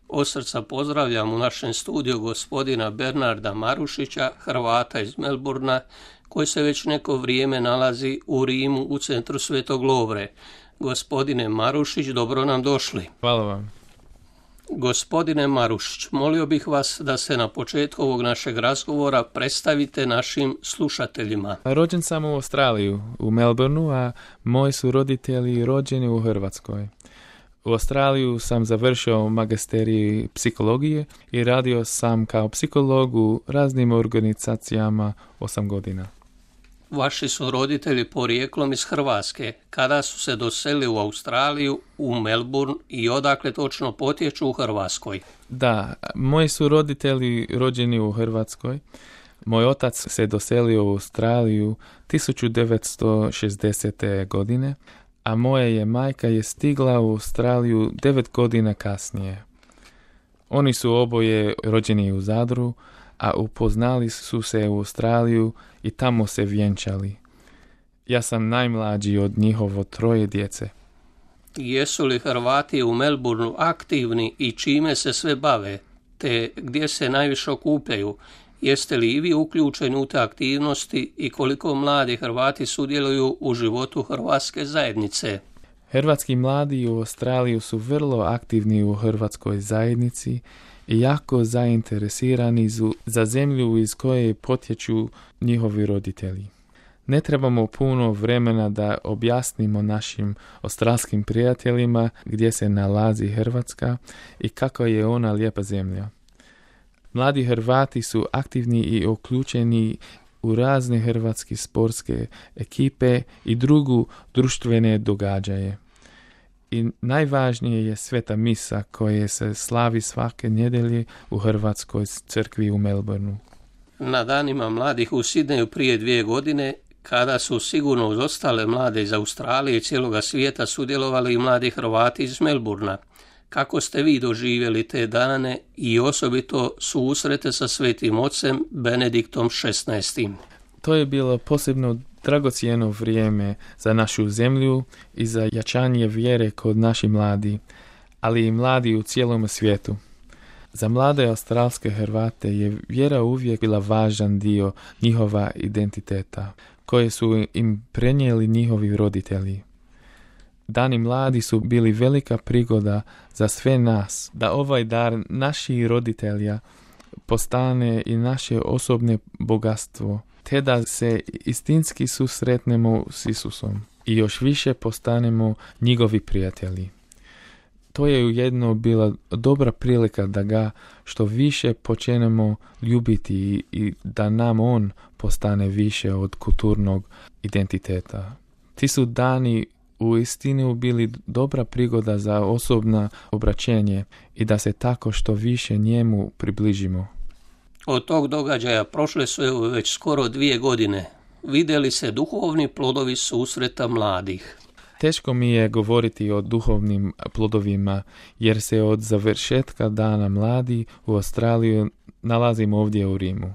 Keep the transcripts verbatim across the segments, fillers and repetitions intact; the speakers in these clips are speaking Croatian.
Od srca pozdravljam u našem studiju gospodina Bernarda Marušića, Hrvata iz Melbourna, koji se već neko vrijeme nalazi u Rimu u centru Svetog Lovre. Gospodine Marušić, dobro nam došli. Hvala vam. Gospodine Marušić, molio bih vas da se na početku ovog našeg razgovora predstavite našim slušateljima. Rođen sam u Australiju, u Melbourneu, a moji su roditelji rođeni u Hrvatskoj. U Australiju sam završio magisterij psihologije i radio sam kao psiholog u raznim organizacijama osam godina. Vaši su roditelji porijeklom iz Hrvatske. Kada su se doselili u Australiju, u Melbourne i odakle točno potječu u Hrvatskoj? Da, moji su roditelji rođeni u Hrvatskoj. Moj otac se doselio u Australiju tisuću devetsto šezdesete. godine, a moja je majka je stigla u Australiju devet godina kasnije. Oni su oboje rođeni u Zadru, a upoznali su se u Australiju i tamo se vjenčali. Ja sam najmlađi od njihovo troje djece. Jesu li Hrvati u Melbourneu aktivni i čime se sve bave, te gdje se najviše okupljaju? Jeste li i vi uključeni u te aktivnosti i koliko mladi Hrvati sudjeluju u životu hrvatske zajednice? Hrvatski mladi u Australiji su vrlo aktivni u hrvatskoj zajednici i jako zainteresirani za zemlju iz koje potječu njihovi roditelji. Ne trebamo puno vremena da objasnimo našim australskim prijateljima gdje se nalazi Hrvatska i kako je ona lijepa zemlja. Mladi Hrvati su aktivni i uključeni u razne hrvatske sportske ekipe i drugu društvene događaje. I najvažnije je sveta misa koja se slavi svake nedjelje u Hrvatskoj crkvi u Melbourneu. Na danima mladih u Sidneju prije dvije godine, kada su sigurno uz ostale mlade iz Australije i cijeloga svijeta sudjelovali i mladi Hrvati iz Melbournea. Kako ste vi doživjeli te dane i osobito susrete sa Svetim Ocem Benediktom šesnaestim? To je bilo posebno dragocjeno vrijeme za našu zemlju i za jačanje vjere kod naših mladi, ali i mladi u cijelom svijetu. Za mlade australske Hrvate je vjera uvijek bila važan dio njihova identiteta, koje su im prenijeli njihovi roditelji. Dani mladi su bili velika prigoda za sve nas, da ovaj dar naših roditelja postane i naše osobne bogatstvo, te da se istinski susretnemo s Isusom i još više postanemo njegovi prijatelji. To je ujedno bila dobra prilika da ga što više počnemo ljubiti i da nam on postane više od kulturnog identiteta. Ti su dani u istinu bili dobra prigoda za osobno obraćenje i da se tako što više njemu približimo. Od tog događaja prošle su već skoro dvije godine. Vidjeli se duhovni plodovi susreta mladih. Teško mi je govoriti o duhovnim plodovima, jer se od završetka dana mladi u Australiju nalazim ovdje u Rimu.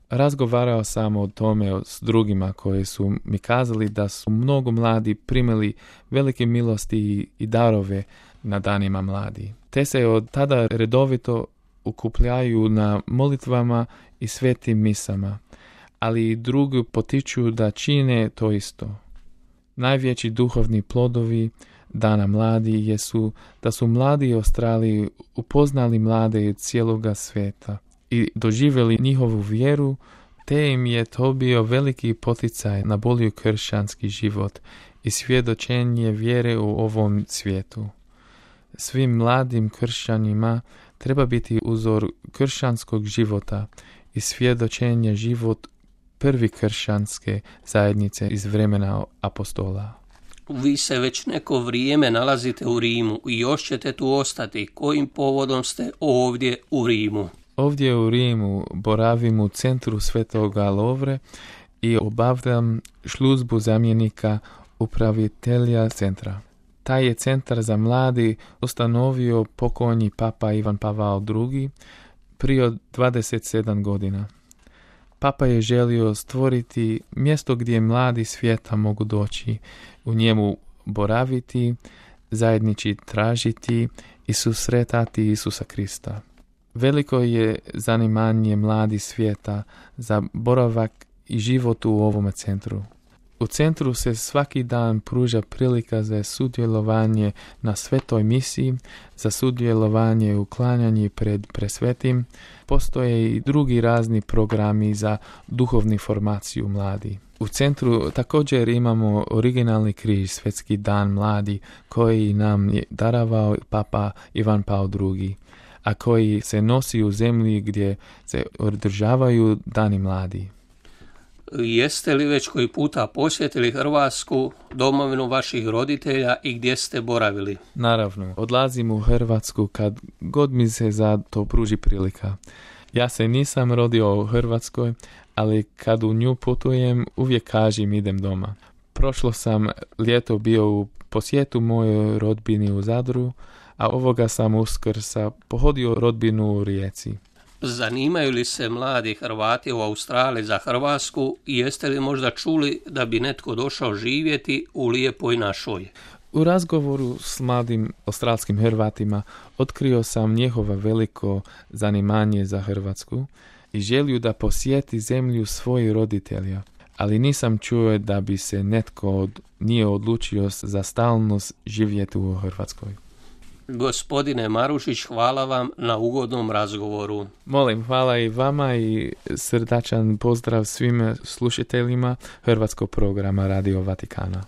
Razgovarao sam o tome s drugima koji su mi kazali da su mnogo mladi primili velike milosti i darove na danima mladi. Te se od tada redovito okupljaju na molitvama i svetim misama, ali i drugi potiču da čine to isto. Najveći duhovni plodovi dana mladi jesu da su mladi Australiji upoznali mlade cijeloga svijeta i doživjeli njihovu vjeru, te im je to bio veliki poticaj na bolji kršćanski život i svjedočenje vjere u ovom svijetu. Svim mladim kršćanima treba biti uzor kršćanskog života i svjedočenje život prvi kršćanske zajednice iz vremena apostola. Vi se već neko vrijeme nalazite u Rimu i još ćete tu ostati. Kojim povodom ste ovdje u Rimu? Ovdje u Rimu boravim u centru Svetoga Lovre i obavljam službu zamjenika upravitelja centra. Taj je centar za mladi ustanovio pokojni papa Ivan Pavao drugi prije dvadeset sedam godina. Papa je želio stvoriti mjesto gdje mladi svijeta mogu doći, u njemu boraviti, zajednički tražiti i susretati Isusa Krista. Veliko je zanimanje mladi svijeta za boravak i život u ovome centru. U centru se svaki dan pruža prilika za sudjelovanje na svetoj misiji, za sudjelovanje u klanjanju pred presvetim. Postoje i drugi razni programi za duhovnu formaciju mladi. U centru također imamo originalni križ, Svjetski dan mladi, koji nam je darovao Papa Ivan Pavao drugi, a koji se nosi u zemlji gdje se održavaju dani mladi. Jeste li već koji puta posjetili Hrvatsku, domovinu vaših roditelja i gdje ste boravili? Naravno, odlazim u Hrvatsku kad god mi se za to pruži prilika. Ja se nisam rodio u Hrvatskoj, ali kad u nju putujem, uvijek kažem idem doma. Prošlo sam ljeto bio u posjetu mojoj rodbini u Zadru, a ovoga sam Uskrsa pohodio rodbinu u Rijeci. Zanimaju li se mladi Hrvati u Australiji za Hrvatsku i jeste li možda čuli da bi netko došao živjeti u lijepoj našoj? U razgovoru s mladim australskim Hrvatima otkrio sam njihovo veliko zanimanje za Hrvatsku i želju da posjeti zemlju svojih roditelja, ali nisam čuo da bi se netko od nije odlučio za stalnost živjeti u Hrvatskoj. Gospodine Marušić, hvala vam na ugodnom razgovoru. Molim, hvala i vama i srdačan pozdrav svim slušateljima Hrvatskog programa Radio Vatikana.